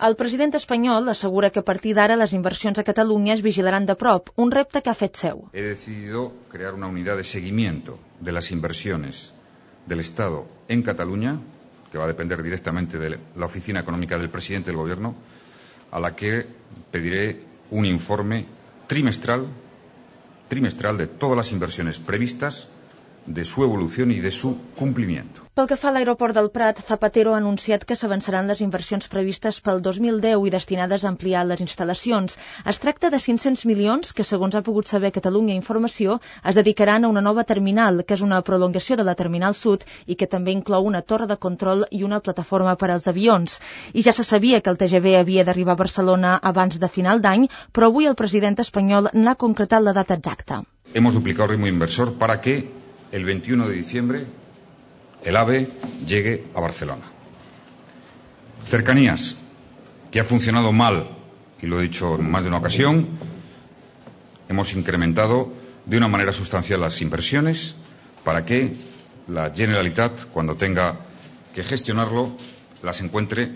El president espanyol assegura que a partir d'ara les inversions a Catalunya es vigilaran de prop, un repte que ha fet seu. He decidido crear una unidad de seguimiento de las inversiones del Estado en Cataluña, que va a depender directamente de la Oficina Económica del Presidente del Gobierno, a la que pediré un informe trimestral de todas las inversiones previstas, de su evolución y de su cumplimiento. Pel que fa a l'aeroport del Prat, Zapatero ha anunciat que s'avançaran les inversions previstes pel 2010 i destinades a ampliar les instal·lacions. Es tracta de 500 milions que, segons ha pogut saber Catalunya Informació, es dedicaran a una nova terminal, que és una prolongació de la Terminal Sud i que també inclou una torre de control i una plataforma per als avions. I ja se sabia que el TGV havia d'arribar a Barcelona abans de final d'any, però avui el president espanyol n'ha concretat la data exacta. Hemos duplicado el ritmo inversor para que el 21 de diciembre el AVE llegue a Barcelona. Cercanías, que ha funcionado mal, y lo he dicho en más de una ocasión, hemos incrementado de una manera sustancial las inversiones para que la Generalitat, cuando tenga que gestionarlo, las encuentre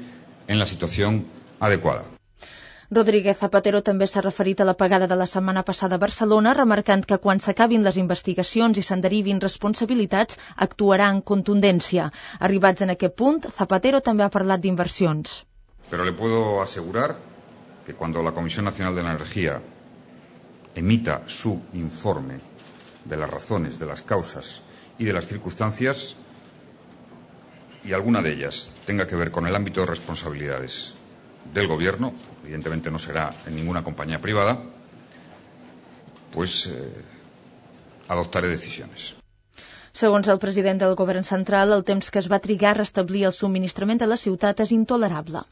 en la situación adecuada. Rodríguez Zapatero també s'ha referit a l'apagada de la setmana passada a Barcelona, remarcant que quan s'acabin les investigacions i se'n derivin responsabilitats, actuarà en contundència. Arribats en aquest punt, Zapatero també ha parlat d'inversions. Pero le puedo asegurar que cuando la Comisión Nacional de la Energía emita su informe de las razones, de las causas y de las circunstancias, y alguna de ellas tenga que ver con el ámbito de responsabilidades del Gobierno, evidentemente no será en ninguna compañía privada, pues adoptaré decisiones. Segons el president del Govern central, el temps que es va trigar a restablir el subministrament a la ciutat és intolerable.